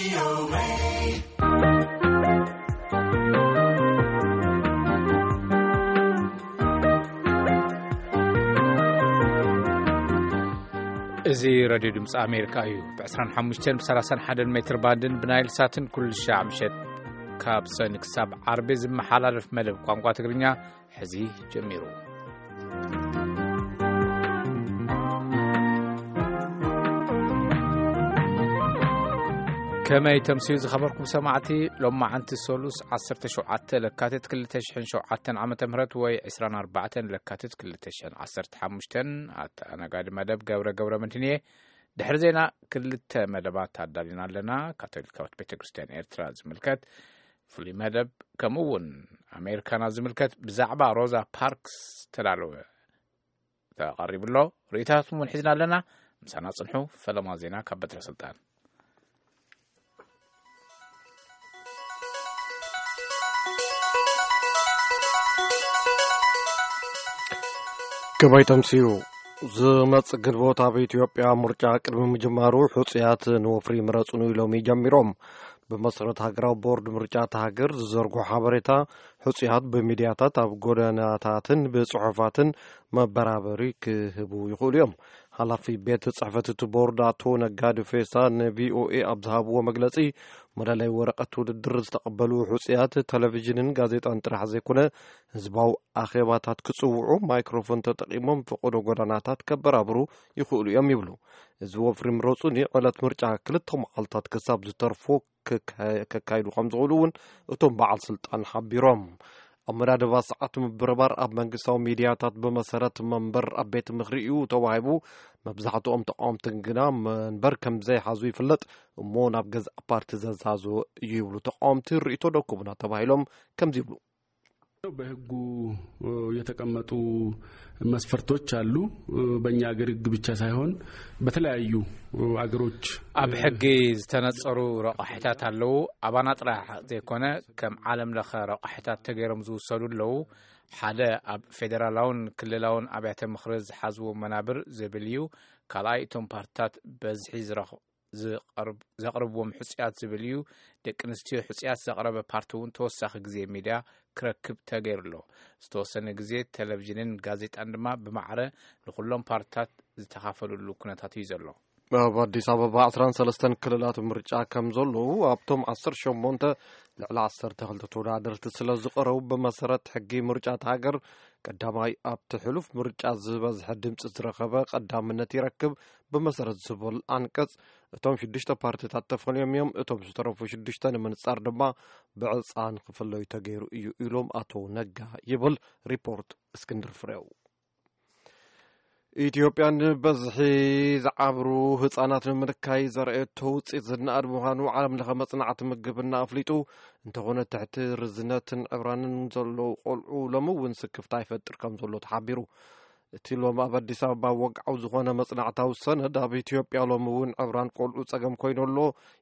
እዚ ሬድዮ ድምፂ ኣሜሪካ እዩ። ብ ዕስራን ሓሙሽተን ብ ሰላሳን ሓደን ሜትር ባንድን ብናይል ሳትን ኩሉ ሻዕ ምሸት ካብ ሰኒ ክሳብ ዓርቢ ዝመሓላለፍ መደብ ቋንቋ ትግርኛ ሕዚ ጀሚሩ። ከመይ ተምስዩ ዝኸበርኩም ሰማዕቲ፣ ሎማዓንቲ ሰሉስ ዓሰርተ ሸውዓተ ለካቲት ክልተ ሽሕን ሸውዓተን ዓመተ ምህረት ወይ ዕስራን ኣርባዕተን ለካቲት ክልተ ሽሕን ዓሰርተ ሓሙሽተን ኣተኣናጋዲ መደብ ገብረ ገብረ መድህን እየ። ድሕሪ ዜና ክልተ መደባት ኣዳሊና ኣለና። ካቶሊካዊት ቤተ ክርስቲያን ኤርትራ ዝምልከት ፍሉይ መደብ፣ ከምኡ እውን ኣሜሪካና ዝምልከት ብዛዕባ ሮዛ ፓርክስ ዝተዳለወ ተቐሪቡ ኣሎ። ርእይታትኩም እውን ሒዝና ኣለና። ምሳና ጽንሑ። ፈለማ ዜና ካብ በትረ ስልጣን። ገባይ ተምስዩ። ዝመጽእ ግንቦት ኣብ ኢትዮጵያ ምርጫ ቅድሚ ምጅማሩ፣ ሕጹያት ንወፍሪ ምረጹኒ ኢሎም ይጀሚሮም። ብመሰረት ሃገራዊ ቦርድ ምርጫ እታ ሃገር ዝዘርግሖ ሓበሬታ፣ ሕጹያት ብሚድያታት፣ ኣብ ጎደናታትን ብጽሑፋትን መበራበሪ ክህቡ ይኽእሉ እዮም። ሓላፊ ቤት ጽሕፈት እቲ ቦርድ ኣቶ ነጋዲ ፌሳ ንቪኦኤ ኣብ ዝሃብዎ መግለጺ፣ መለለይ ወረቐት ውድድር ዝተቐበሉ ሕጹያት ቴሌቪዥንን ጋዜጣን ጥራሕ ዘይኮነ፣ ህዝባዊ ኣኼባታት ክጽውዑ፣ ማይክሮፎን ተጠቒሞም ፈቐዶ ጎደናታት ከበራብሩ ይኽእሉ እዮም ይብሉ። እዚ ወፍሪ ምረጹኒ ዕለት ምርጫ ክልተ መዓልታት ክሳብ ዝተርፎ ክካ-፣ ከካይዱ ከም ዝኽእሉ እውን እቶም በዓል ስልጣን ሓቢሮም። ኣመዳድባ ሰዓት ምብርባር ኣብ መንግስታዊ ሚድያታት ብመሰረት መንበር ኣብ ቤት ምኽሪ እዩ ተዋሂቡ። መብዛሕትኦም ተቃወምትን ግና መንበር ከም ዘይሓዙ ይፍለጥ፣ እሞ ናብ ገዛእ ፓርቲ ዘዛዞ እዩ ይብሉ ተቃወምቲ። ርእይቶ ደኩቡና ተባሂሎም ከምዚ ይብሉ። በህጉ የተቀመጡ መስፈርቶች አሉ። በእኛ ሀገር ህግ ብቻ ሳይሆን በተለያዩ አገሮች ኣብ ሕጊ ዝተነጸሩ ረቋሒታት ኣለዉ። ኣባና ጥራሕ ዘይኮነ፣ ከም ዓለም ለኸ ረቋሒታት ተገይሮም ዝውሰዱ ኣለዉ። ሓደ ኣብ ፌደራላውን ክልላውን ኣብያተ ምኽሪ ዝሓዝዎ መናብር ዝብል እዩ። ካልኣይ እቶም ፓርትታት በዝሒ ዝረኽ-፣ ዝቐርብ-፣ ዘቕርብዎም ሕጹያት ዝብል እዩ። ደቂ ኣንስትዮ ሕጹያት ዘቕረበ ፓርቲ እውን ተወሳኺ ግዜ ሚድያ ክረክብ ተገይሩ ኣሎ። ዝተወሰነ ግዜ ቴሌቪዥንን ጋዜጣን ድማ ብማዕረ ንኹሎም ፓርትታት ዝተኻፈልሉ ኩነታት እዩ ዘሎ። ኣብ ኣዲስ ኣበባ ዕስራን ሰለስተን ክልላት ምርጫ ከም ዘለዉ፣ ኣብቶም ዓሰርተ ሸሞንተ ልዕሊ ዓሰርተ ክልተ ተወዳደርቲ ስለ ዝቐረቡ፣ ብመሰረት ሕጊ ምርጫ እታ ሃገር፣ ቀዳማይ ኣብቲ ሕሉፍ ምርጫ ዝበዝሐ ድምፂ ዝረኸበ ቀዳምነት ይረክብ። ብመሰረት ዝብል ኣንቀጽ፣ እቶም ሽዱሽተ ፓርቲታት ተፈልዮም እዮም። እቶም ዝተረፉ ሽዱሽተ ንምንጻር ድማ ብዕጻ ንክፍለዩ ተገይሩ እዩ ኢሎም ኣቶ ነጋ ይብል ሪፖርት እስክንድር ፍሬው። ኢትዮጵያ ንበዝሒ ዝዓብሩ ህጻናት ንምንካይ ዘርእየቶ ውጽኢት ዝነኣድ ምዃኑ ዓለም ለኸ መጽናዕቲ ምግብና ኣፍሊጡ። እንተኾነ ትሕቲ ርዝነትን ዕብራንን ዘለዉ ቆልዑ ሎሚ እውን ስክፍታ ይፈጥር ከም ዘሎ ተሓቢሩ። እቲ ሎም ኣብ ኣዲስ ኣበባ ወግዓዊ ዝኾነ መጽናዕታዊ ሰነድ ኣብ ኢትዮጵያ ሎም እውን ዕብራን ቆልዑ ጸገም ኮይኑ ኣሎ።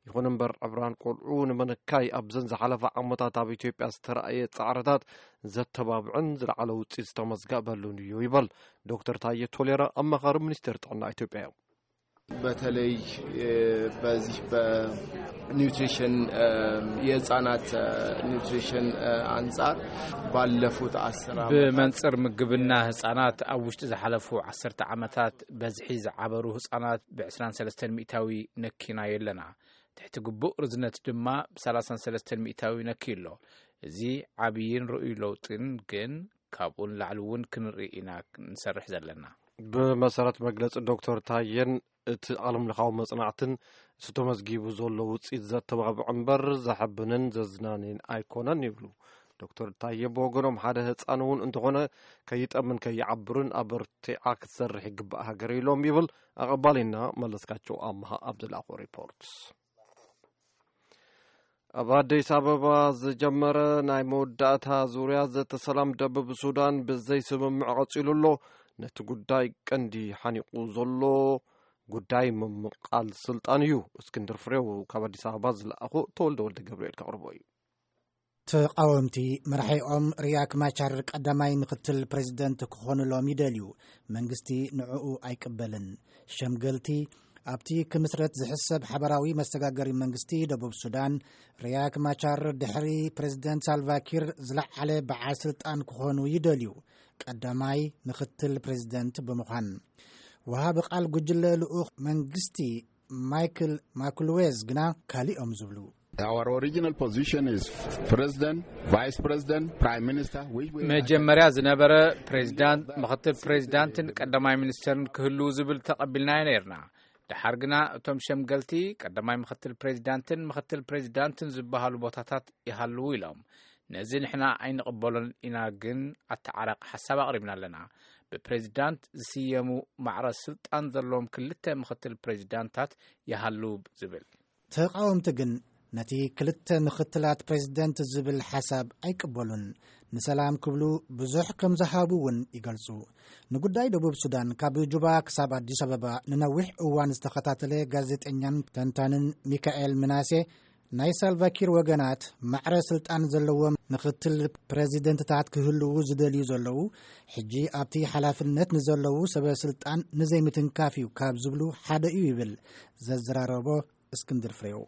ይኹን እምበር ዕብራን ቆልዑ ንምንካይ ኣብዘን ዝሓለፋ ዓመታት ኣብ ኢትዮጵያ ዝተራእየ ጻዕርታት ዘተባብዕን ዝለዓለ ውጽኢት ዝተመዝገበሉን እዩ ይበል ዶክተር ታየ ቶሌራ፣ ኣማኻሪ ሚኒስቴር ጥዕና ኢትዮጵያ እዮም። በተለይ በዚህ በኒውትሪሽን የህፃናት ኒውትሪሽን አንጻር ባለፉት አስር ዓመታት ብመንፅር ምግብና ህፃናት ኣብ ውሽጢ ዝሓለፉ ዓሰርተ ዓመታት በዝሒ ዝዓበሩ ህፃናት ብ ዕስራን ሰለስተን ሚእታዊ ነኪና የለና። ትሕቲ ግቡእ ርዝነት ድማ ብ ሰላሳን ሰለስተን ሚእታዊ ነኪ ኣሎ። እዚ ዓብይን ርኡይ ለውጥን ግን ካብኡ ንላዕሊ እውን ክንርኢ ኢና ክንሰርሕ ዘለና። ብመሰረት መግለጺ ዶክተር ታየን እቲ ዓለምለኻዊ መጽናዕትን እቲ ተመዝጊቡ ዘሎ ውጽኢት ዘተባብዕ እምበር ዘሐብንን ዘዝናንን ኣይኮነን ይብሉ። ዶክተር ታየ ብወገኖም ሓደ ህፃን እውን እንተኾነ ከይጠምን ከይዓብርን ኣበርቲዓ ክትሰርሕ ይግባእ ሃገር ኢሎም ይብል ኣቐባሊና መለስካቸው ኣምሃ ኣብ ዝለኣኾ ሪፖርት። ኣብ ኣዲስ ኣበባ ዝጀመረ ናይ መወዳእታ ዙርያ ዘተ ሰላም ደቡብ ሱዳን ብዘይ ስምምዕ ቀጺሉ ኣሎ። ነቲ ጉዳይ ቀንዲ ሓኒቑ ዘሎ ጉዳይ ምምቓል ስልጣን እዩ። እስክንድር ፍሬው ካብ ኣዲስ ኣበባ ዝለኣኹ ተወልደ ወልደ ገብርኤል ከቕርቦ እዩ። ተቓወምቲ መራሒኦም ሪያክ ማቻር ቀዳማይ ምክትል ፕሬዚደንት ክኾኑሎም ይደልዩ። መንግስቲ ንዕኡ ኣይቅበልን። ሸምገልቲ ኣብቲ ክምስረት ዝሕሰብ ሓበራዊ መሰጋገሪ መንግስቲ ደቡብ ሱዳን፣ ሪያክ ማቻር ድሕሪ ፕሬዝደንት ሳልቫኪር ዝለዓለ በዓል ስልጣን ክኾኑ ይደልዩ፣ ቀዳማይ ምኽትል ፕሬዝደንት ብምዃን። ወሃቢ ቃል ጉጅለ ልኡኽ መንግስቲ ማይክል ማኩልዌዝ ግና ካሊኦም ዝብሉ። Our original position is President, Vice President, Prime Minister, which we መጀመርያ ዝነበረ ፕሬዚዳንት፣ ምኽትል ፕሬዚዳንትን ቀዳማይ ሚኒስተርን ክህልዉ ዝብል ተቐቢልናዮ ነይርና። ደሓር ግና እቶም ሸምገልቲ ቀዳማይ ምኽትል ፕሬዚዳንትን ምኽትል ፕሬዚዳንትን ዝበሃሉ ቦታታት ይሃልዉ ኢሎም። ነዚ ንሕና ኣይንቕበሎን ኢና፣ ግን ኣተዓራቂ ሓሳብ ኣቕሪብና ኣለና። ብፕሬዚዳንት ዝስየሙ ማዕረ ስልጣን ዘለዎም ክልተ ምኽትል ፕሬዚዳንታት ይሃልዉ ዝብል። ተቓወምቲ ግን ነቲ ክልተ ምኽትላት ፕሬዚደንት ዝብል ሓሳብ ኣይቅበሉን። ንሰላም ክብሉ ብዙሕ ከም ዝሃቡ እውን ይገልጹ። ንጉዳይ ደቡብ ሱዳን ካብ ጁባ ክሳብ ኣዲስ ኣበባ ንነዊሕ እዋን ዝተኸታተለ ጋዜጠኛን ተንታንን ሚካኤል ምናሴ፣ ናይ ሳልቫኪር ወገናት ማዕረ ስልጣን ዘለዎም ምኽትል ፕሬዚደንትታት ክህልዉ ዝደልዩ ዘለዉ፣ ሕጂ ኣብቲ ሓላፍነት ንዘለዉ ሰበ ስልጣን ንዘይምትንካፍ እዩ ካብ ዝብሉ ሓደ እዩ ይብል ዘዘራረቦ እስክንድር ፍሬው።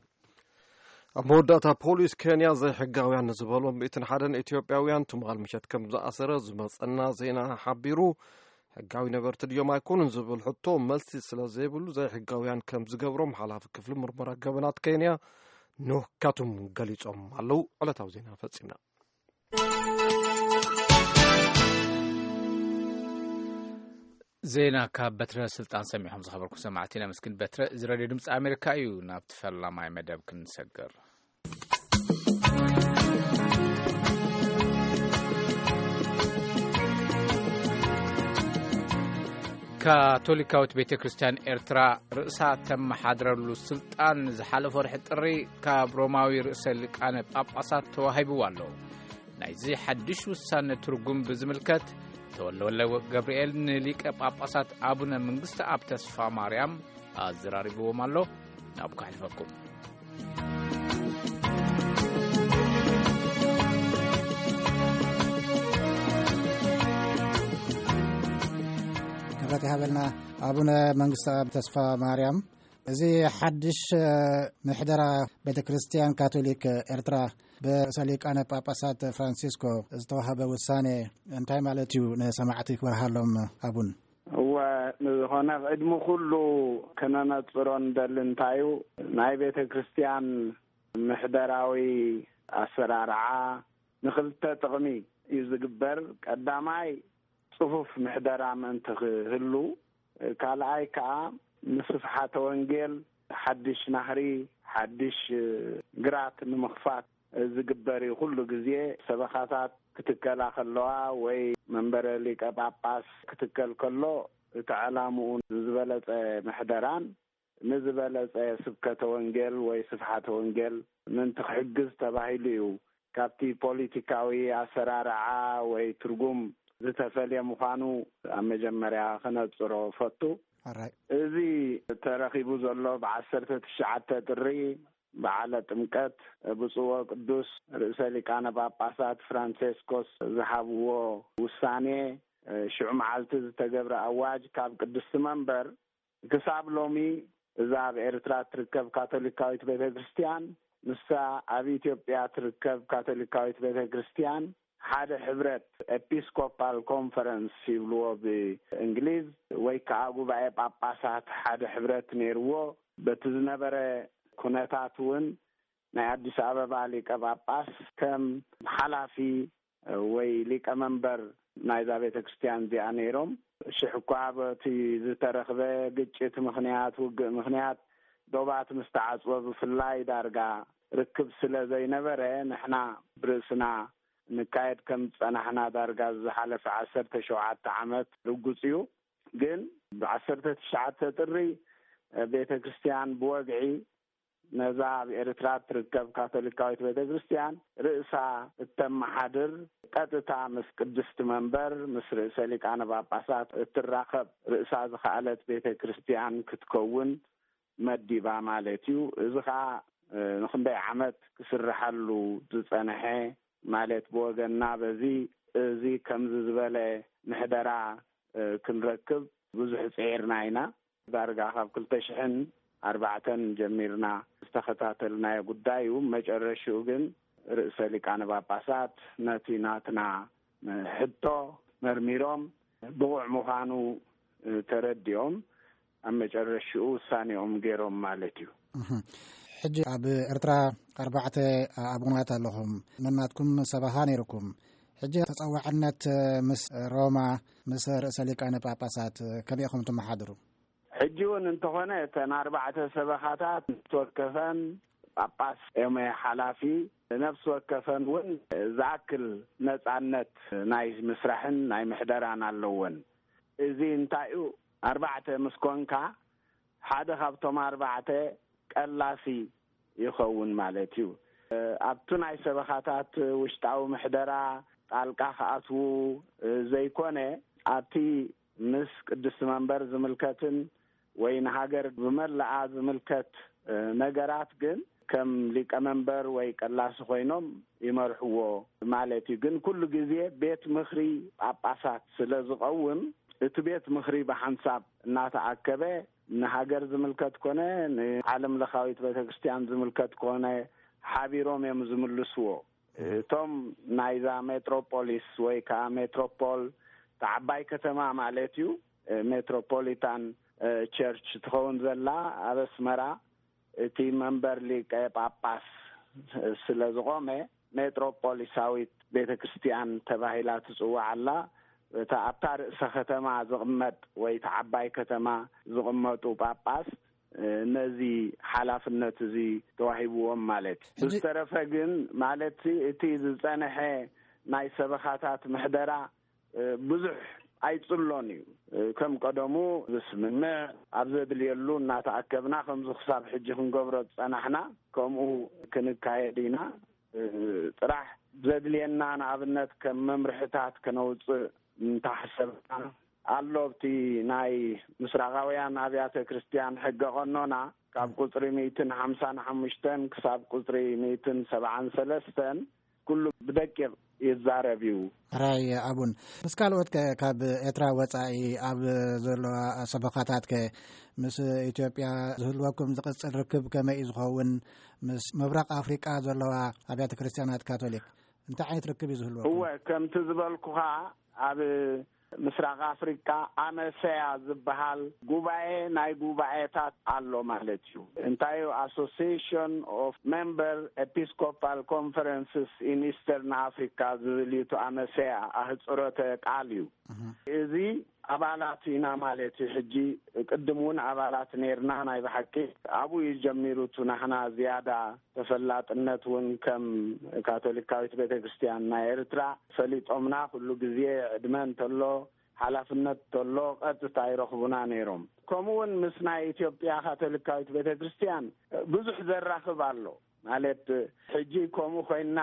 ኣብ መወዳእታ፣ ፖሊስ ኬንያ ዘይሕጋውያን ንዝበሎም ሚእትን ሓደን ኢትዮጵያውያን ትማል ምሸት ከም ዝኣሰረ ዝመጸና ዜና ሓቢሩ። ሕጋዊ ነበርቲ ድዮም ኣይኮኑን ዝብል ሕቶ መልሲ ስለ ዘይብሉ፣ ዘይሕጋውያን ከም ዝገብሮም ሓላፊ ክፍሊ ምርመራ ገበናት ኬንያ ኖህ ካቱም ገሊጾም ኣለዉ። ዕለታዊ ዜና ፈጺምና። ዜና ካብ በትረ ስልጣን ሰሚዕኹም ዝኸበርኩም ሰማዕቲ ነመስግን። በትረ፣ እዚ ሬድዮ ድምፂ ኣሜሪካ እዩ። ናብቲ ፈላማይ መደብ ክንሰገር። ካቶሊካዊት ቤተ ክርስቲያን ኤርትራ ርእሳ ተመሓድረሉ ስልጣን ዝሓለፈ ወርሒ ጥሪ ካብ ሮማዊ ርእሰ ሊቃነ ጳጳሳት ተዋሂብዋ ኣሎ። ናይዚ ሓድሽ ውሳነ ትርጉም ብዝምልከት ተወልደወልደ ገብርኤል ንሊቀ ጳጳሳት ኣቡነ መንግስተ ኣብ ተስፋ ማርያም ኣዘራሪብዎም ኣሎ። ናብኡ ከሕልፈኩም። ክብረት ይሃበልና ኣቡነ መንግስተ ኣብ ተስፋ ማርያም። እዚ ሓድሽ ምሕደራ ቤተ ክርስቲያን ካቶሊክ ኤርትራ ብርእሰ ሊቃነ ጳጳሳት ፍራንሲስኮ ዝተዋህበ ውሳኔ እንታይ ማለት እዩ? ንሰማዕቲ ክበርሃሎም ኣቡን። እወ፣ ንዝኾነ ቅድሚ ኩሉ ክነነጽሮ እንደሊ እንታይ እዩ፣ ናይ ቤተ ክርስቲያን ምሕደራዊ ኣሰራርዓ ንኽልተ ጥቕሚ እዩ ዝግበር። ቀዳማይ፣ ጽፉፍ ምሕደራ ምእንቲ ክህሉ፣ ካልኣይ ከኣ ንስፍሓተ ወንጌል ሓድሽ ናህሪ፣ ሓድሽ ግራት ንምኽፋት ዝግበር እዩ። ኩሉ ግዜ ሰበኻታት ክትከላ ከለዋ ወይ መንበረ ሊቀ ጳጳስ ክትከል ከሎ፣ እቲ ዕላምኡ ንዝበለጸ ምሕደራን ንዝበለጸ ስብከተ ወንጌል ወይ ስፍሓተ ወንጌል ምእንቲ ክሕግዝ ተባሂሉ እዩ። ካብቲ ፖሊቲካዊ ኣሰራርዓ ወይ ትርጉም ዝተፈልየ ምዃኑ ኣብ መጀመርያ ክነጽሮ ፈቱ። ኣራይ። እዚ ተረኺቡ ዘሎ ብዓሰርተ ትሽዓተ ጥሪ በዓለ ጥምቀት ብፁዕ ወቅዱስ ርእሰ ሊቃነ ጳጳሳት ፍራንሴስኮስ ዝሃብዎ ውሳኔ፣ ሽዑ መዓልቲ ዝተገብረ ኣዋጅ ካብ ቅድስቲ መንበር ክሳብ ሎሚ እዛ ኣብ ኤርትራ ትርከብ ካቶሊካዊት ቤተ ክርስቲያን፣ ንሳ ኣብ ኢትዮጵያ ትርከብ ካቶሊካዊት ቤተ ክርስቲያን ሓደ ሕብረት፣ ኤፒስኮፓል ኮንፈረንስ ይብልዎ ብእንግሊዝ፣ ወይ ከዓ ጉባኤ ጳጳሳት ሓደ ሕብረት ነይርዎ። በቲ ዝነበረ ኩነታት እውን ናይ ኣዲስ ኣበባ ሊቀ ጳጳስ ከም ሓላፊ ወይ ሊቀ መንበር ናይዛ ቤተ ክርስቲያን እዚኣ ነይሮም። ሽሕ እኳ በቲ ዝተረኽበ ግጭት ምኽንያት፣ ውግእ ምኽንያት ዶባት ምስ ተዓጽወ ብፍላይ ዳርጋ ርክብ ስለ ዘይነበረ፣ ንሕና ብርእስና ንካየድ ከም ዝጸናሕና ዳርጋ ዝሓለፈ ዓሰርተ ሸውዓተ ዓመት ርጉጽ እዩ። ግን ብዓሰርተ ትሽዓተ ጥሪ ቤተ ክርስቲያን ብወግዒ ነዛ ኣብ ኤርትራ እትርከብ ካቶሊካዊት ቤተ ክርስቲያን ርእሳ እተመሓድር፣ ቀጥታ ምስ ቅድስቲ መንበር፣ ምስ ርእሰ ሊቃነ ጳጳሳት እትራኸብ፣ ርእሳ ዝኸኣለት ቤተ ክርስቲያን ክትከውን መዲባ ማለት እዩ። እዚ ኸኣ፣ እ፣ ንኽንደይ ዓመት ክስርሐሉ ዝጸንሐ ማለት፣ ብወገንና በዚ፣ እዚ ከምዚ ዝበለ ምሕደራ፣ እ፣ ክንረክብ ብዙሕ ጽዒርና ኢና። ዳርጋ ካብ ክልተ ሽሕን ኣርባዕተን ጀሚርና ዝተኸታተልናዮ ጉዳይ እዩ። መጨረሽኡ ግን ርእሰ ሊቃነ ጳጳሳት ነቲ ናትና ሕቶ መርሚሮም ብቑዕ ምዃኑ ተረዲኦም ኣብ መጨረሽኡ ውሳኔኦም ገይሮም ማለት እዩ። እህ። ሕጂ ኣብ ኤርትራ ኣርባዕተ ኣቡናት ኣለኹም። ነናትኩም ሰበኻ ነይርኩም። ሕጂ ተጸዋዕነት ምስ ሮማ፣ ምስ ርእሰ ሊቃነ ጳጳሳት ከመይ ኢኹም ትመሓድሩ? ሕጂ እውን እንተኾነ እተን ኣርባዕተ ሰበኻታት ነፍሲ ወከፈን ጳጳስ እዮም ሓላፊ፣ ነፍሲ ወከፈን እውን ዝኣክል ነጻነት ናይ ምስራሕን ናይ ምሕደራን ኣለወን። እዚ እንታይ እዩ? ኣርባዕተ ምስ ኮንካ ሓደ ካብቶም ኣርባዕተ ቀላሲ ይኸውን ማለት እዩ። ኣብቲ ናይ ሰበኻታት ውሽጣዊ ምሕደራ ጣልቃ ክኣትዉ ዘይኮነ፣ ኣብቲ ምስ ቅድስቲ መንበር ዝምልከትን ወይ ንሃገር ብመላኣ ዝምልከት ነገራት ግን ከም ሊቀመንበር ወይ ቀላሲ ኮይኖም ይመርሕዎ ማለት እዩ። ግን ኩሉ ግዜ ቤት ምኽሪ ጳጳሳት ስለ ዝቐውም፣ እቲ ቤት ምኽሪ ብሓንሳብ እናተኣከበ ንሃገር ዝምልከት ኮነ ንዓለም ለኻዊት ቤተክርስትያን ዝምልከት ኮነ ሓቢሮም እዮም ዝምልስዎ። እቶም ናይዛ ሜትሮፖሊስ ወይ ከዓ ሜትሮፖል፣ እታ ዓባይ ከተማ ማለት እዩ፣ ሜትሮፖሊታን ቸርች ትኸውን ዘላ ኣብ ኣስመራ፣ እቲ መንበር ሊቀ ጳጳስ ስለ ዝቖመ፣ ሜትሮፖሊሳዊት ቤተ ክርስቲያን ተባሂላ ትጽዋዕ ኣላ። እታ ኣብታ ርእሰ ከተማ ዝቕመጥ ወይ እታ ዓባይ ከተማ ዝቕመጡ ጳጳስ ነዚ ሓላፍነት እዚ ተዋሂብዎም ማለት እዩ። ብዝተረፈ ግን ማለት እቲ ዝጸንሐ ናይ ሰበኻታት ምሕደራ ብዙሕ ኣይጽሎን እዩ። ከም ቀደሙ ዝስምምዕ፣ ኣብ ዘድልየሉ እናተኣከብና ከምዚ ክሳብ ሕጂ ክንገብሮ ዝጸናሕና ከምኡ ክንካየድ ኢና። ጥራሕ ዘድልየና ንኣብነት ከም መምርሕታት ከነውጽእ እንተሓሰብና ኣሎ። ኣብቲ ናይ ምስራቃውያን ኣብያተ ክርስቲያን ሕገ ቀኖና ካብ ቁጽሪ ሚእትን ሓምሳን ሓሙሽተን ክሳብ ቁጽሪ ሚእትን ሰብዓን ሰለስተን ኩሉ ብደቂቕ ይዛረብ እዩ። ሕራይ ኣቡን፣ ምስ ካልኦት ከ ካብ ኤርትራ ወጻኢ ኣብ ዘለዋ ሰበኻታት ከ ምስ ኢትዮጵያ ዝህልወኩም ዝቕጽል ርክብ ከመይ እዩ ዝኸውን? ምስ ምብራቕ ኣፍሪቃ ዘለዋ ኣብያተ ክርስቲያናት ካቶሊክ እንታይ ዓይነት ርክብ እዩ ዝህልወኩም? እወ፣ ከምቲ ዝበልኩኻ ኣብ ምስራቕ ኣፍሪቃ ኣመሰያ ዝበሃል ጉባኤ ናይ ጉባኤታት ኣሎ ማለት እዩ። እንታይ እዩ? Association of Member Episcopal Conferences in Eastern Africa ዝብል እዩ። እቲ ኣመሰያ ኣህጽሮተ ቃል እዩ። እዚ ኣባላት ኢና ማለት እዩ። ሕጂ ቅድም እውን ኣባላት ነይርና። ናይ ብሓቂ ኣብኡ እዩ ጀሚሩ። እቲ ናሕና ዝያዳ ተፈላጥነት እውን ከም ካቶሊካዊት ቤተክርስትያን ናይ ኤርትራ ፈሊጦምና፣ ኩሉ ግዜ ዕድመ እንተሎ ሓላፍነት እንተሎ ቀጥታ ይረኽቡና ነይሮም። ከምኡ እውን ምስ ናይ ኢትዮጵያ ካቶሊካዊት ቤተክርስትያን ብዙሕ ዘራኽብ ኣሎ። ማለት ሕጂ ከምኡ ኮይና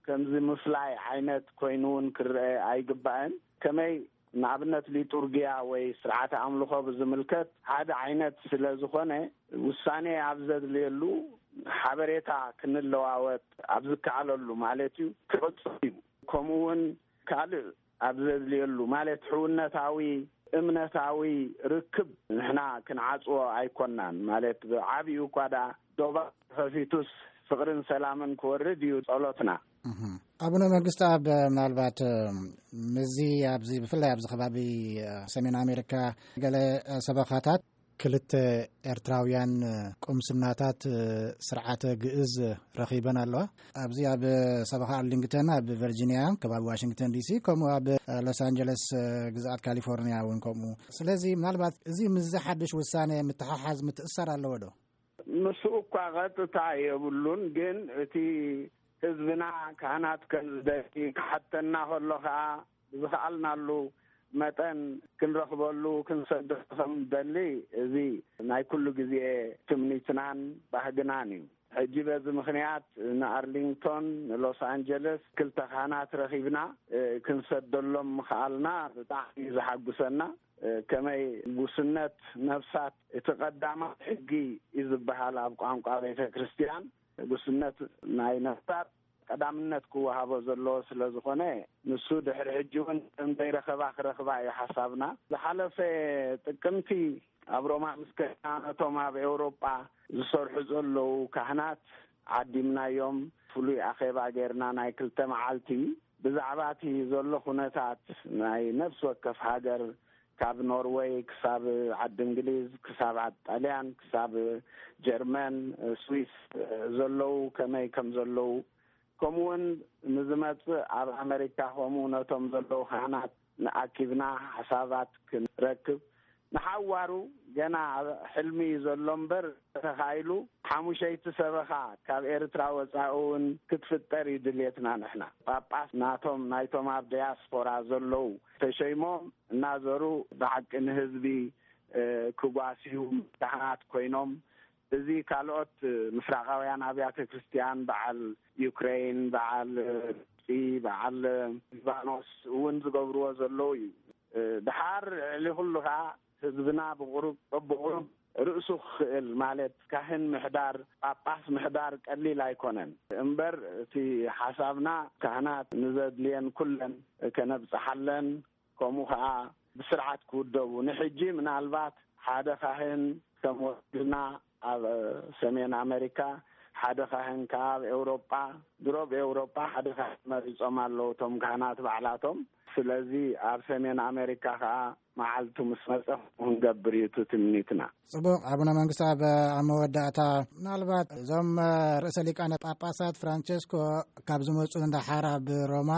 ከምዚ ምፍላይ ዓይነት ኮይኑ እውን ክረአ ኣይግባእን። ከመይ ንኣብነት ሊጡርጊያ ወይ ስርዓተ ኣምልኾ ብዝምልከት ሓደ ዓይነት ስለ ዝኾነ ውሳኔ ኣብ ዘድልየሉ ሓበሬታ ክንለዋወጥ ኣብ ዝከኣለሉ ማለት እዩ ክቕጽል እዩ። ከምኡ እውን ካልእ ኣብ ዘድልየሉ ማለት ሕውነታዊ እምነታዊ ርክብ ንሕና ክንዓጽዎ ኣይኮናን። ማለት ብዓቢኡ እኳ ዳ ዶባ ተኸፊቱስ ፍቕርን ሰላምን ክወርድ እዩ ጸሎትና። ኣቡነ መንግስቲ ኣብ ምናልባት ምዚ ኣብዚ ብፍላይ ኣብዚ ከባቢ ሰሜን ኣሜሪካ ገለ ሰበኻታት ክልተ ኤርትራውያን ቁምስናታት ስርዓተ ግእዝ ረኺበን ኣለዋ። ኣብዚ ኣብ ሰበኻ ኣርሊንግተን ኣብ ቨርጂኒያ ከባቢ ዋሽንግተን ዲሲ፣ ከምኡ ኣብ ሎስ ኣንጀለስ ግዝኣት ካሊፎርኒያ እውን ከምኡ። ስለዚ ምናልባት እዚ ምስዚ ሓድሽ ውሳነ ምትሓሓዝ ምትእሳር ኣለዎ ዶ? ምስኡ እኳ ቀጥታ የብሉን፣ ግን እቲ ህዝብና ካህናት ከም ዝደሊ ክሓተና ከሎ ከዓ ብዝኸኣልናሉ መጠን ክንረኽበሉ ክንሰዶ ከም ደሊ እዚ ናይ ኩሉ ግዜ ትምኒትናን ባህግናን እዩ። ሕጂ በዚ ምኽንያት ንኣርሊንግቶን ንሎስ ኣንጀለስ ክልተ ካህናት ረኺብና ክንሰደሎም ምኽኣልና ብጣዕሚ እዩ ዘሓጉሰና። ከመይ ጉስነት ነፍሳት እቲ ቀዳማት ሕጊ እዩ ዝበሃል ኣብ ቋንቋ ቤተ ክርስቲያን። ጉስነት ናይ ነፍሳት ቀዳምነት ክወሃቦ ዘለዎ ስለ ዝኾነ ንሱ ድሕሪ ሕጂ እውን ከም ዘይረኸባ ክረኽባ እዩ ሓሳብና። ዝሓለፈ ጥቅምቲ ኣብ ሮማ ምስ ከድና፣ ነቶም ኣብ ኤውሮጳ ዝሰርሑ ዘለዉ ካህናት ዓዲምናዮም። ፍሉይ ኣኼባ ጌርና፣ ናይ ክልተ መዓልቲ፣ ብዛዕባ እቲ ዘሎ ኩነታት ናይ ነፍሲ ወከፍ ሃገር፣ ካብ ኖርወይ ክሳብ ዓዲ እንግሊዝ፣ ክሳብ ዓዲ ጣልያን፣ ክሳብ ጀርመን፣ ስዊስ ዘለዉ ከመይ ከም ዘለዉ፣ ከምኡውን ንዝመጽእ ኣብ ኣመሪካ ከምኡ ነቶም ዘለዉ ካህናት ንኣኪብና ሓሳባት ክንረክብ፣ ንሓዋሩ ገና ኣብ ሕልሚ እዩ ዘሎ እምበር፣ ተኻኢሉ ሓሙሸይቲ ሰበኻ ካብ ኤርትራ ወጻኢ እውን ክትፍጠር እዩ ድልየትና። ንሕና ጳጳስ ናቶም፣ ናይቶም ኣብ ዲያስፖራ ዘለዉ፣ ተሸይሞም እናዘሩ ብሓቂ ንህዝቢ፣ እ፣ ክጓስዩ፣ ካህናት ኮይኖም፣ እዚ ካልኦት ምስራቃውያን ኣብያተ ክርስቲያን፣ በዓል ዩክሬን፣ በዓል ግብፂ፣ በዓል ሊባኖስ እውን ዝገብርዎ ዘለዉ እዩ። ድሓር ልዕሊ ኩሉ ከዓ ህዝብና ብቁሩብ በብቁሩብ ርእሱ ክኽእል፣ ማለት ካህን ምሕዳር፣ ጳጳስ ምሕዳር ቀሊል ኣይኮነን። እምበር እቲ ሓሳብና፣ ካህናት ንዘድልየን ኩለን ከነብጽሓለን፣ ከምኡ ከዓ ብስርዓት ክውደቡ። ንሕጂ ምናልባት ሓደ ካህን ከም ወኪልና ኣብ ሰሜን ኣመሪካ፣ ሓደ ካህን ከዓ ኣብ ኤውሮጳ፣ ድሮ ኣብ ኤውሮጳ ሓደ ካህን መሪጾም ኣለዉ እቶም ካህናት ባዕላቶም። ስለዚ ኣብ ሰሜን ኣመሪካ ከዓ መዓልቱ ምስ መጸ ክንገብር እዩ እቲ ትምኒትና። ጽቡቕ። ኣቡነ መንግስቲ፣ ኣብ፣ ኣብ መወዳእታ፣ ምናልባት እዞም ርእሰ ሊቃነ ጳጳሳት ፍራንቸስኮ ካብ ዝመጹ ንደሓር ኣብ ሮማ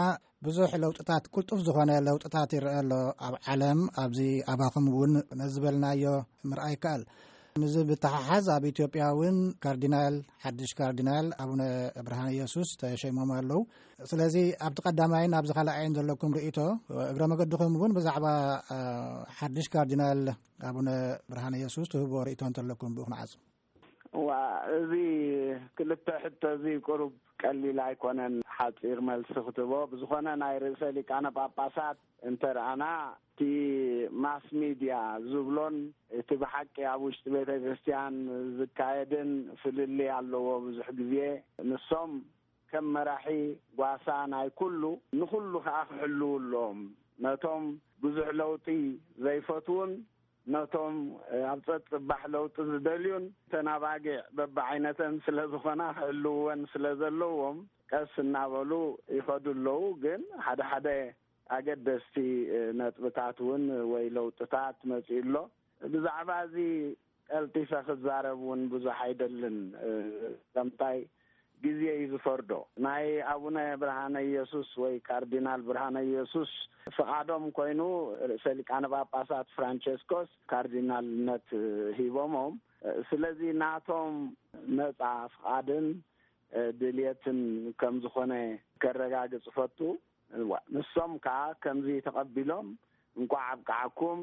ብዙሕ ለውጥታት፣ ቅልጡፍ ዝኾነ ለውጥታት ይረአ ኣሎ ኣብ ዓለም። ኣብዚ ኣባኹም እውን ነዚ ዝበልናዮ ምርኣይ ይከኣል። ምስዚ ብተሓሓዝ ኣብ ኢትዮጵያ እውን ካርዲናል፣ ሓድሽ ካርዲናል ኣቡነ ብርሃነ ኢየሱስ ተሸይሞም ኣለዉ። ስለዚ ኣብቲ ቀዳማይን ኣብዚ ካልኣይን ዘለኩም ርእይቶ፣ እግረ መገድኹም እውን ብዛዕባ፣ እ፣ ሓድሽ ካርዲናል ኣቡነ ብርሃነ ኢየሱስ ትህብዎ ርእይቶ እንተለኩም ብኡ ክንዓጹ። እዋ፣ እዚ ክልተ ሕቶ እዚ ቁሩብ ቀሊል ኣይኮነን ሓጺር መልሲ ክትቦ። ብዝኾነ ናይ ርእሰ ሊቃነ ጳጳሳት እንተ ረኣና፣ እቲ ማስ ሚድያ ዝብሎን እቲ ብሓቂ ኣብ ውሽጢ ቤተ ክርስቲያን ዝካየድን ፍልልይ ኣለዎ። ብዙሕ ግዜ ንሶም ከም መራሒ ጓሳ ናይ ኩሉ፣ ንኹሉ ከኣ ክሕልዉ ኣለዎም። ነቶም ብዙሕ ለውጢ ዘይፈትዉን ነቶም ኣብ ጸጽባሕ ለውጢ ዝደልዩን፣ እተን ኣባጊዕ በብዓይነተን ስለ ዝኾና ክሕልውወን ስለ ዘለዎም፣ ቀስ እናበሉ ይኸዱ ኣለዉ። ግን ሓደ ሓደ ኣገደስቲ ነጥብታት እውን ወይ ለውጥታት መጺኡ ኣሎ። ብዛዕባ እዚ ቀልጢፈ ክዛረብ እውን ብዙሕ ኣይደልን። ከምታይ ግዜ እዩ ዝፈርዶ። ናይ ኣቡነ ብርሃነ ኢየሱስ ወይ ካርዲናል ብርሃነ ኢየሱስ ፍቓዶም ኮይኑ፣ ርእሰ ሊቃነ ጳጳሳት ፍራንቸስኮስ ካርዲናልነት ሂቦሞም። ስለዚ ናቶም ነጻ ፍቓድን ድልየትን ከም ዝኾነ ከረጋግጽ ፈቱ። እዋ፣ ንሶም ከኣ ከምዚ ተቐቢሎም፣ "እንቋዕ ኣብቅዓኩም፣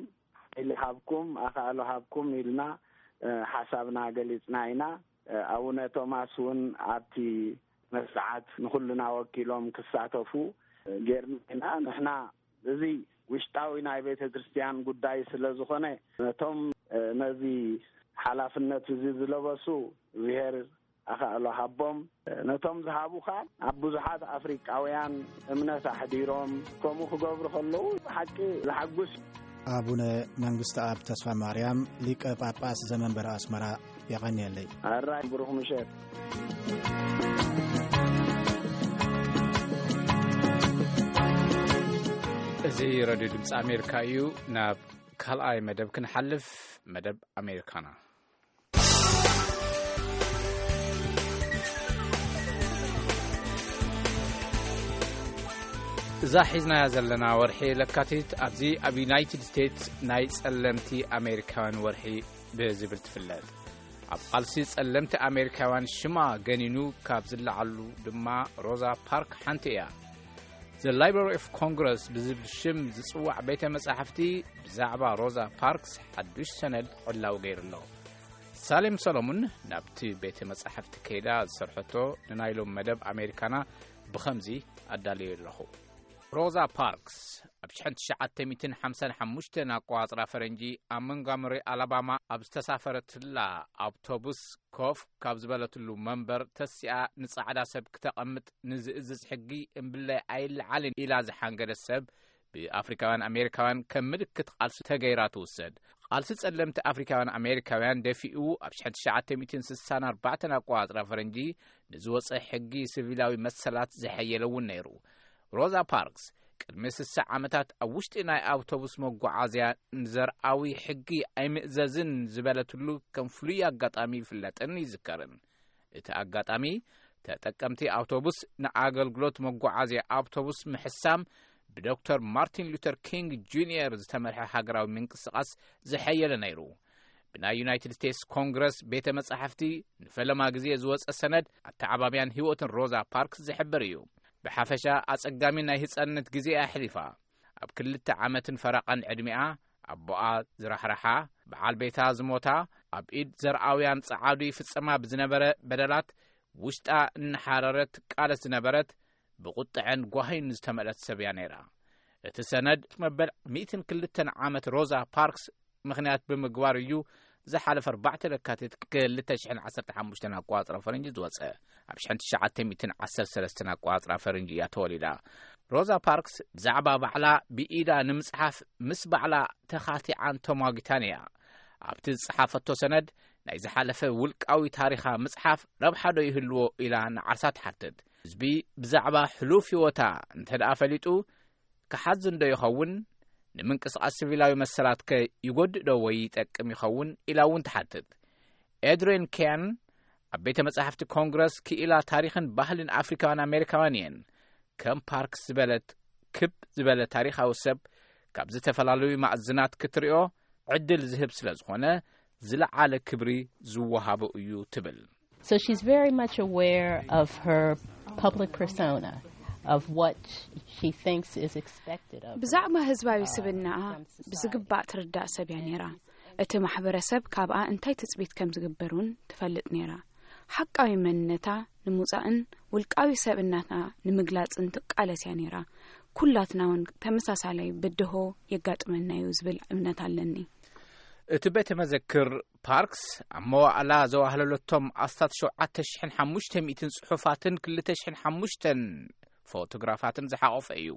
ሓይሊ ሃብኩም፣ ኣኻእሎ ሃብኩም" ኢልና፣ እ፣ ሓሳብና ገሊጽና ኢና። እ፣ ኣቡነ ቶማስ እውን ኣብቲ መስርዓት ንኹልና ወኪሎም ክሳተፉ፣ እ፣ ጌርና ኢና። ንሕና እዚ ውሽጣዊ ናይ ቤተ ክርስቲያን ጉዳይ ስለ ዝኾነ፣ ነቶም፣ እ፣ ነዚ ሓላፍነት እዚ ዝለበሱ፣ እግዚኣብሔር ኣኻእሎ ሃቦም። ነቶም ዝሃቡኻ ኣብ ብዙሓት ኣፍሪቃውያን እምነት ኣሕዲሮም፣ ከምኡ ክገብሩ ከለዉ ብሓቂ ዘሓጉስ። ኣቡነ መንግስቲ ኣብ ተስፋ ማርያም፣ ሊቀ ጳጳስ ዘመንበረ ኣስመራ፣ የቐንየለይ። ኣራይ ብሩኽ ምሸት። እዚ ረድዮ ድምፂ ኣሜሪካ እዩ። ናብ ካልኣይ መደብ ክንሓልፍ፣ መደብ ኣሜሪካና። እዛ ሒዝናያ ዘለና ወርሒ ለካቲት ኣብዚ ኣብ ዩናይትድ ስቴትስ ናይ ጸለምቲ ኣሜሪካውያን ወርሒ ብዝብል ትፍለጥ። ኣብ ቃልሲ ጸለምቲ ኣሜሪካውያን ሽማ ገኒኑ ካብ ዝለዓሉ ድማ ሮዛ ፓርክ ሓንቲ እያ። The Library of Congress ብዝብል ሽም ዝጽዋዕ ቤተ መጻሕፍቲ ብዛዕባ ሮዛ ፓርክስ ሓዱሽ ሰነድ ዕላዊ ገይሩ ኣሎ። ሳሌም ሰሎሙን ናብቲ ቤተ መጻሕፍቲ ከይዳ ዝሰርሐቶ ንናይ ሎም መደብ ኣሜሪካና ብኸምዚ ኣዳልዮ ኣለኹ። ሮዛ ፓርክስ ኣብ ሽሕን ትሽዓተ ሚእትን ሓምሳን ሓሙሽተን ኣቆጻጽራ ፈረንጂ ኣብ መንጋሞሪ ኣላባማ ኣብ ዝተሳፈረትላ ኣውቶቡስ ኮፍ ካብ ዝበለትሉ መንበር ተሲኣ ንጻዕዳ ሰብ ክተቐምጥ ንዝእዝዝ ሕጊ እምብለይ ኣይለዓልን ኢላ ዝሓንገደት ሰብ ብኣፍሪካውያን ኣሜሪካውያን ከም ምልክት ቃልሲ ተገይራ ትውሰድ። ቃልሲ ጸለምቲ ኣፍሪካውያን ኣሜሪካውያን ደፊኡ ኣብ ሽሕን ትሽዓተ ሚእትን ስሳን ኣርባዕተን ኣቆጻጽራ ፈረንጂ ንዝወጸ ሕጊ ሲቪላዊ መሰላት ዝሐየለ እውን ነይሩ። ሮዛ ፓርክስ ቅድሚ ስሳ ዓመታት ኣብ ውሽጢ ናይ ኣውቶቡስ መጓዓዝያ ንዘርኣዊ ሕጊ ኣይምእዘዝን ዝበለትሉ ከም ፍሉይ ኣጋጣሚ ይፍለጥን ይዝከርን። እቲ ኣጋጣሚ ተጠቀምቲ ኣውቶቡስ ንኣገልግሎት መጓዓዝያ ኣውቶቡስ ምሕሳም ብዶክተር ማርቲን ሉተር ኪንግ ጁኒየር ዝተመርሐ ሃገራዊ ምንቅስቓስ ዝሐየለ ነይሩ። ብናይ ዩናይትድ ስቴትስ ኮንግረስ ቤተ መጻሕፍቲ ንፈለማ ግዜ ዝወጸ ሰነድ ኣተዓባብያን ህይወትን ሮዛ ፓርክስ ዝሕብር እዩ። ብሓፈሻ ኣጸጋሚ ናይ ህጻንነት ግዜ ኣሕሊፋ። ኣብ ክልተ ዓመትን ፈረቓን ዕድሚኣ ኣቦኣ ዝራሕረሓ፣ በዓል ቤታ ዝሞታ፣ ኣብ ኢድ ዘርኣውያን ጸዓዱ ይፍጸማ ብዝነበረ በደላት ውሽጣ እናሓረረት ቃለስ ዝነበረት፣ ብቁጥዐን ጓሂን ዝተመልአት ሰብ እያ ነይራ። እቲ ሰነድ መበል ሚእትን ክልተን ዓመት ሮዛ ፓርክስ ምኽንያት ብምግባር እዩ ዝሓለፈ ኣርባዕተ ለካቲት ክልተ ሽሕን ዓሰርተ ሓሙሽተን ኣቆጻጽራ ፈረንጂ ዝወጸ። ኣብ ሽሕን ትሽዓተ ሚእትን ዓሰርተ ሰለስተን ኣቆጻጽራ ፈረንጂ እያ ተወሊዳ። ሮዛ ፓርክስ ብዛዕባ ባዕላ ብኢዳ ንምጽሓፍ ምስ ባዕላ ተኻቲዓን ተሟጊታን እያ። ኣብቲ ዝጸሓፈቶ ሰነድ ናይ ዝሓለፈ ውልቃዊ ታሪኻ ምጽሓፍ ረብሓ ዶ ይህልዎ ኢላ ንዓርሳ ትሓትት። ህዝቢ ብዛዕባ ሕሉፍ ህይወታ እንተ ደኣ ፈሊጡ ክሓዝን ዶ ይኸውን? ንምንቅስቓስ ሲቪላዊ መሰላትከ ይጎድእ ዶ ወይ ይጠቅም ይኸውን? ኢላ እውን ትሓትት። ኤድሪን ኬን ኣብ ቤተ መጻሕፍቲ ኮንግረስ ክኢላ ታሪኽን ባህልን ኣፍሪካውያን ኣሜሪካውያን እየን። ከም ፓርክስ ዝበለት ክብ ዝበለ ታሪኻዊ ሰብ ካብ ዝተፈላለዩ ማዕዝናት ክትሪኦ ዕድል ዝህብ ስለ ዝኾነ ዝለዓለ ክብሪ ዝወሃቦ እዩ ትብል። So she's very much aware of her public persona, of what she thinks is expected of her. ብዛዕባ ህዝባዊ ስብናኣ ብዝግባእ ትርዳእ ሰብ እያ ነይራ። እቲ ማሕበረሰብ ካብኣ እንታይ ትጽቢት ከም ዝግበር እውን ትፈልጥ ነይራ። ሓቃዊ መንነታ ንምውጻእን ውልቃዊ ሰብእነታ ንምግላጽን ትቃለስ እያ ነይራ። ኩላትና እውን ተመሳሳላይ ብድሆ የጋጥመና እዩ ዝብል እምነት ኣለኒ። እቲ ቤተ መዘክር ፓርክስ ኣብ መዋእላ ዘዋህለለቶም ኣስታት ሸውዓተ ሽሕን ሓሙሽተ ሚእትን ጽሑፋትን ክልተ ሽሕን ሓሙሽተን ፎቶግራፋትን ዝሓቖፈ እዩ።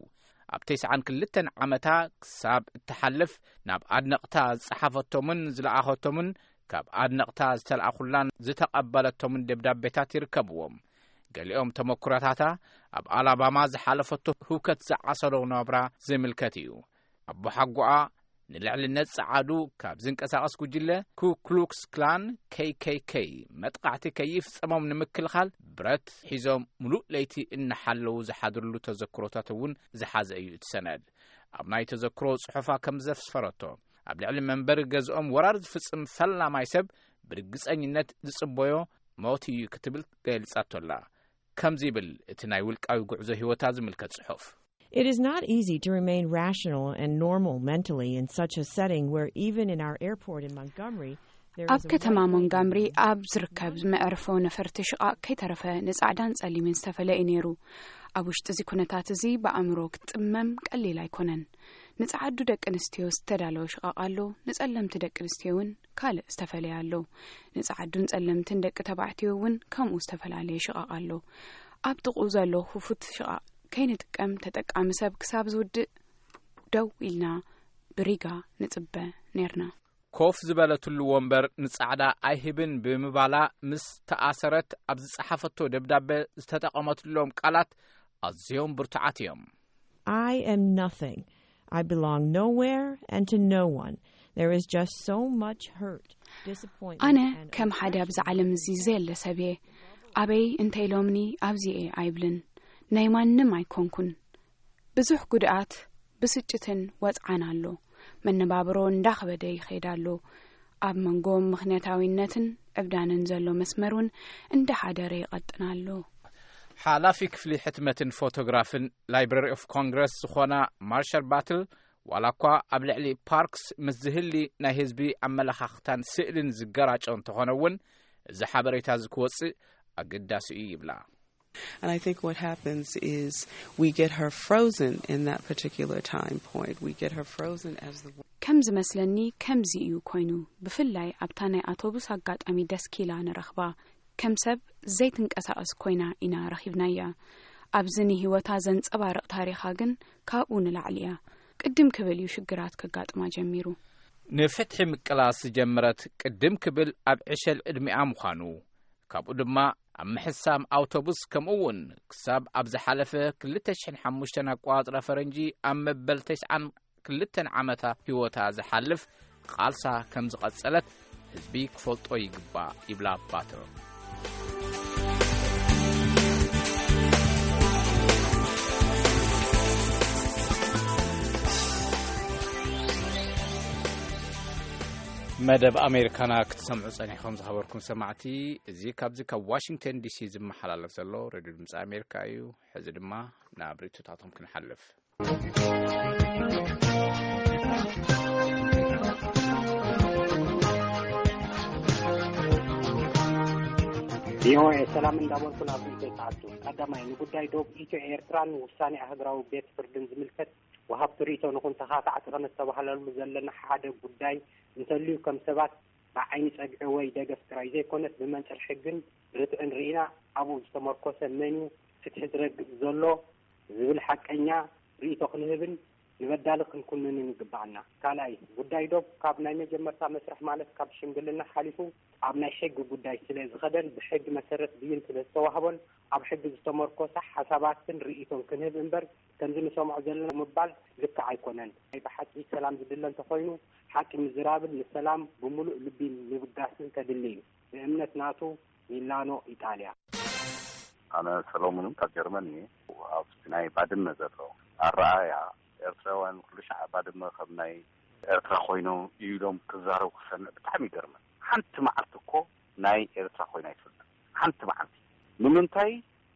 ኣብ ተስዓን ክልተን ዓመታ ክሳብ እትሓልፍ ናብ ኣድነቕታ ዝጸሓፈቶምን ዝለኣኸቶምን ካብ ኣድነቕታ ዝተለኣኹላን ዝተቐበለቶምን ደብዳቤታት ይርከብዎም። ገሊኦም ተመኩሮታታ ኣብ ኣላባማ ዝሓለፈቶ ህውከት ዝዓሰሎ ናብራ ዝምልከት እዩ። ኣቦሓጎኣ ንልዕልነት ጸዓዱ ካብ ዝንቀሳቐስ ጉጅለ ኩ ክሉክስ ክላን፣ ኬይ ኬይ ኬይ፣ መጥቓዕቲ ከይፍጸሞም ንምክልኻል ብረት ሒዞም ምሉእ ለይቲ እናሓለዉ ዝሓድርሉ ተዘክሮታት እውን ዝሓዘ እዩ እቲ ሰነድ። ኣብ ናይ ተዘክሮ ጽሑፋ ከም ዘስፈረቶ፣ ኣብ ልዕሊ መንበሪ ገዝኦም ወራር ዝፍጽም ፈላማይ ሰብ ብርግጸኝነት ዝጽበዮ ሞት እዩ ክትብል ገሊጻቶ ኣላ። ከምዚ ይብል እቲ ናይ ውልቃዊ ጉዕዞ ህይወታ ዝምልከት ጽሑፍ። It is not easy to remain rational and normal mentally in such a setting where, even in our airport in Montgomery, there ኣብ is a ከተማ right-wing ሞንጋምሪ movement. ኣብ ዝርከብ መዕርፎ ነፈርቲ ሽቓቕ ከይተረፈ ንጻዕዳን ጸሊምን ዝተፈለየ ነይሩ። ኣብ ውሽጢ እዚ ኩነታት እዚ ብኣእምሮ ክትጥመም ቀሊል ኣይኮነን። ንጸዓዱ ደቂ ኣንስትዮ ዝተዳለወ ሽቓቕ ኣሎ፣ ንጸለምቲ ደቂ ኣንስትዮ እውን ካልእ ዝተፈላለየ ኣሎ። ንጸዓዱን ጸለምትን ደቂ ተባዕትዮ እውን ከምኡ ዝተፈላለየ ሽቓቕ ኣሎ። ኣብ ጥቕኡ ዘሎ ክፉት ሽቓቕ ከይንጥቀም ተጠቃሚ ሰብ ክሳብ ዝውድእ ደው ኢልና ብሪጋ ንጽበ ነርና። ኮፍ ዝበለትሉ ወንበር ንጻዕዳ ኣይህብን ብምባላ ምስ ተኣሰረት ኣብ ዝጸሓፈቶ ደብዳበ ዝተጠቐመትሎም ቃላት ኣዝዮም ብርቱዓት እዮም። I am nothing. I belong nowhere and to no one. There is just so much hurt, disappointment, ኣነ and ከም ሓደ ኣብዚ ዓለም እዚ ዘየለ ሰብ እየ። ኣበይ እንተ ኢሎምኒ ኣብዚ እየ ኣይብልን። ናይ ማንም ኣይኮንኩን። ብዙሕ ጉድኣት፣ ብስጭትን ወጽዓን ኣሎ። መነባብሮ እንዳኸበደ ይኸይድ ኣሎ። ኣብ መንጎ ምኽንያታዊነትን ዕብዳንን ዘሎ መስመር እውን እንዳሓደረ ይቐጥን ኣሎ። ሓላፊ ክፍሊ ሕትመትን ፎቶግራፍን ላይብረሪ ኦፍ ኮንግረስ ዝኾና ማርሻል ባትል፣ ዋላ እኳ ኣብ ልዕሊ ፓርክስ ምስ ዝህሊ ናይ ህዝቢ ኣመለኻኽታን ስእልን ዝገራጮ እንተኾነ እውን፣ እዚ ሓበሬታ እዚ ክወጽእ ኣገዳሲ እዩ ይብላ። And I think what happens is we get her frozen in that particular time point. We get her frozen as the ከም ዝመስለኒ ከምዚ እዩ ኮይኑ። ብፍላይ ኣብታ ናይ ኣውቶቡስ ኣጋጣሚ ደስኪላ ንረኽባ፣ ከም ሰብ ዘይትንቀሳቐስ ኮይና ኢና ረኺብናያ። ኣብዚ ንህይወታ ዘንጸባርቕ ታሪኻ ግን ካብኡ ንላዕሊ እያ። ቅድም ክብል እዩ ሽግራት ከጋጥማ ጀሚሩ። ንፍትሒ ምቅላስ ዝጀመረት ቅድም ክብል ኣብ ዕሸል ዕድሚኣ ምዃኑ፣ ካብኡ ድማ ኣብ ምሕሳም ኣውቶቡስ፣ ከምኡ እውን ክሳብ ኣብ ዝሓለፈ ክልተ ሽሕን ሓሙሽተን ኣቆጻጽራ ፈረንጂ ኣብ መበል ተስዓን ክልተን ዓመታ ህይወታ ዝሓልፍ ቃልሳ ከም ዝቐጸለት ህዝቢ ክፈልጦ ይግባእ ይብላ ባትሮ። መደብ ኣሜሪካና ክትሰምዑ ጸኒሕኩም ዝኸበርኩም ሰማዕቲ፣ እዚ ካብዚ ካብ ዋሽንግተን ዲሲ ዝመሓላለፍ ዘሎ ሬድዮ ድምፂ ኣሜሪካ እዩ። ሕዚ ድማ ናብ ርእይቶታቶም ክንሓልፍ። ቪኦኤ ሰላም እንዳበልኩ ናብ ርእይቶ ይሰዓቱ። ቀዳማይ፣ ንጉዳይ ዶብ ኢትዮ ኤርትራን ውሳኔ ኣህጉራዊ ቤት ፍርድን ዝምልከት ወሃብቲ ርእይቶ ንኹን ተኻታዕቲ ከነስተባህለሉ ዘለና ሓደ ጉዳይ እንተልዩ፣ ከም ሰባት ብዓይኒ ጸግዒ ወይ ደገፍ ጥራይ ዘይኮነስ፣ ብመንጽር ሕግን ርትዕን ርኢና ኣብኡ ዝተመርኮሰ መን እዩ ፍትሒ ዝረግጽ ዘሎ ዝብል ሓቀኛ ርእይቶ ክንህብን ንበዳሊ ክንኩንንን ይግባኣና። ካልኣይ፣ ጉዳይ ዶብ ካብ ናይ መጀመርታ መስርሕ፣ ማለት ካብ ሽምግልና ሓሊፉ ኣብ ናይ ሕጊ ጉዳይ ስለ ዝኸደን ብሕጊ መሰረት ብይን ስለ ዝተዋህቦን ኣብ ሕጊ ዝተመርኮሰ ሓሳባትን ርእይቶን ክንህብ እምበር፣ ከምዚ ንሰምዖ ዘለና ምባል ልክዕ ኣይኮነን። ናይ ብሓቂ ሰላም ዝድለ እንተኾይኑ፣ ሓቂ ምዝራብን ንሰላም ብምሉእ ልቢ ምብጋስን ከድሊ እዩ። ብእምነት ናቱ ሚላኖ፣ ኢጣልያ። ኣነ ሰሎሞን ካብ ጀርመን እየ። ኣብቲ ናይ ባድመ ዘሎ ኣረኣእያ፣ ኤርትራውያን ኩሉ ሻዕ ባድመ ከም ናይ ኤርትራ ኮይኖም እዩ ኢሎም ክዛረቡ ክሰምዕ ብጣዕሚ ይገርመን። ሓንቲ መዓልቲ እኮ ናይ ኤርትራ ኮይና ኣይትፈልጥን። ሓንቲ መዓልቲ። ንምንታይ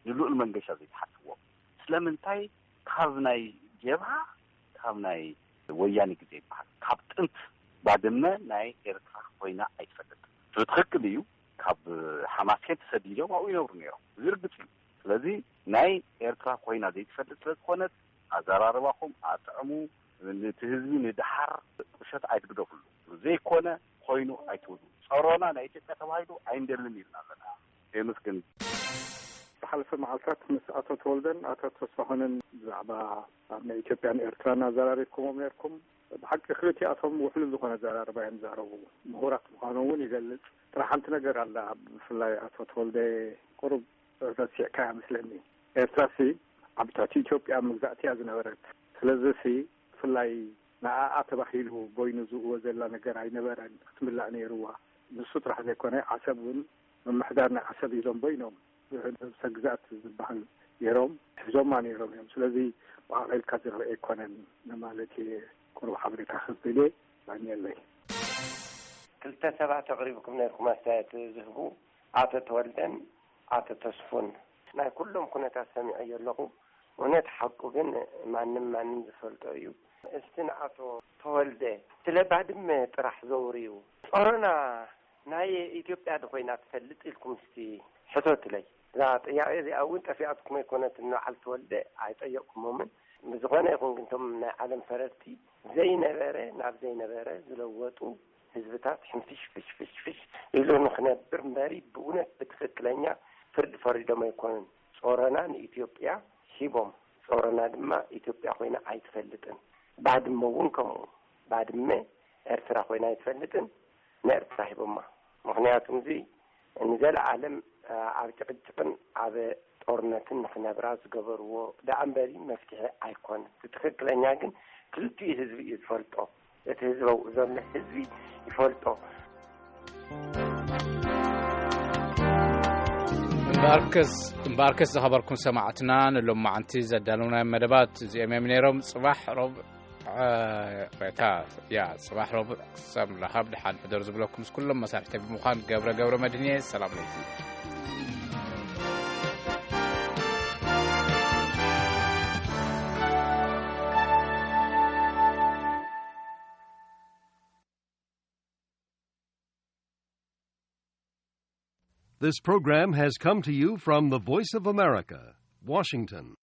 ንልኡል መንገሻ ዘይትሓትዎ? ስለምንታይ ካብ ናይ ጀብሃ፣ ካብ ናይ ወያኔ ግዜ ይበሃል፣ ካብ ጥንት ባድመ ናይ ኤርትራ ኮይና ኣይትፈልጥን። ብትኽክል እዩ፣ ካብ ሓማሴን ተሰዲዶም ኣብኡ ይነብሩ ነይሮም። እዚ ርግጽ እዩ። ስለዚ ናይ ኤርትራ ኮይና ዘይትፈልጥ ስለ ዝኾነት፣ ኣዘራርባኹም ኣጥዕሙ፣ ነቲ ህዝቢ ንደሓር ቁሸት ኣይትግደፍሉ። ዘይኮነ ኮይኑ ኣይትብሉ። ጸሮና ናይ ኢትዮጵያ ተባሂሉ ኣይንደልን ኢልና ኣለና። የመስግን። ዝሓለፈ መዓልታት ምስ ኣቶ ተወልደን ኣቶ ተስፋሁንን ብዛዕባ ኣብ ናይ ኢትዮጵያን ኤርትራን ኣዘራሪብኩሞም ነርኩም። ብሓቂ ክልቲኣቶም ውሕሉል ዝኾነ ኣዘራርባ እዮም ዝዛረቡ። ምሁራት ምዃኖም እውን ይገልጽ። ጥራሕ ሓንቲ ነገር ኣላ፣ ብፍላይ ኣቶ ተወልደ ቁሩብ ረሲዕካያ መስለኒ። ኤርትራሲ ዓብታት ኢትዮጵያ መግዛእቲ እያ ዝነበረት። ስለዚሲ ብፍላይ ንኣኣ ተባሂሉ በይኑ ዝእወ ዘላ ነገር ኣይነበረን፣ ክትምላእ ነይርዋ። ንሱ ጥራሕ ዘይኮነ ዓሰብ እውን ምምሕዳር ናይ ዓሰብ ኢሎም በይኖም ነብሰ ግዛት ዝበሃል ነይሮም፣ ሒዞማ ነይሮም እዮም። ስለዚ ብኣቕ ኢልካ ዝረአ ኣይኮነን ንማለት እየ። ቁሩብ ሓበሬታ ክብል እየ። ባንየለይ። ክልተ ሰባት ኣቕሪብኩም ነርኩም ኣስተያየት ዝህቡ፣ ኣቶ ተወልደን ኣቶ ተስፉን። ናይ ኩሎም ኩነታት ሰሚዐዮ ኣለኹ። እውነት ሓቁ ግን ማንም ማንም ዝፈልጦ እዩ። እስቲ ንኣቶ ተወልደ ስለ ባድመ ጥራሕ ዘውርዩ። ጾሮና ናይ ኢትዮጵያ ዶ ኮይና ትፈልጥ ኢልኩም እስቲ ሕተቱለይ። እዛ ጥያቄ እዚኣ እውን ጠፊኣትኩም ኣይኮነትን፣ ንበዓል ተወልደ ኣይጠየቅኩሞምን። ብዝኾነ ይኹን ግን እቶም ናይ ዓለም ፈረድቲ ዘይነበረ ናብ ዘይነበረ ዝለወጡ ህዝብታት ሕንፍሽ ፍሽ ፍሽ ፍሽ ኢሉ ንኽነብር እምበሪ ብእውነት ብትኽክለኛ ፍርዲ ፈሪዶም ኣይኮኑን። ጾሮና ንኢትዮጵያ ሂቦም። ጾሮና ድማ ኢትዮጵያ ኮይና ኣይትፈልጥን። ባድመ እውን ከምኡ። ባድመ ኤርትራ ኮይና ኣይትፈልጥን። ንኤርትራ ሂቦማ። ምኽንያቱ እዚ ንዘለኣለም ኣብ ጭቕጭቕን ኣብ ጦርነትን ንኽነብራ ዝገበርዎ ደኣ እምበሪ መፍትሒ ኣይኮነን። እቲ ትኽክለኛ ግን ክልቲኡ ህዝቢ እዩ ዝፈልጦ። እቲ ህዝቢ ኣብኡ ዘሎ ህዝቢ ይፈልጦ። እምበኣርከስ እምበኣርከስ ዝኸበርኩም ሰማዕትና፣ ንሎማዓንቲ ዘዳለውናዮም መደባት እዚኦም እዮም ነይሮም። ጽባሕ ረቡዕ፣ እ፣ ሬታ፣ ያ፣ ጽባሕ ረቡዕ ክሳብ ንራኸብ ደሓን ሕደሩ ዝብለኩም ምስ ኩሎም መሳርሕተይ ብምዃን ገብረ ገብረ መድህን እየ። ሰላም ለይቲ። This program has come to you from the Voice of America, Washington.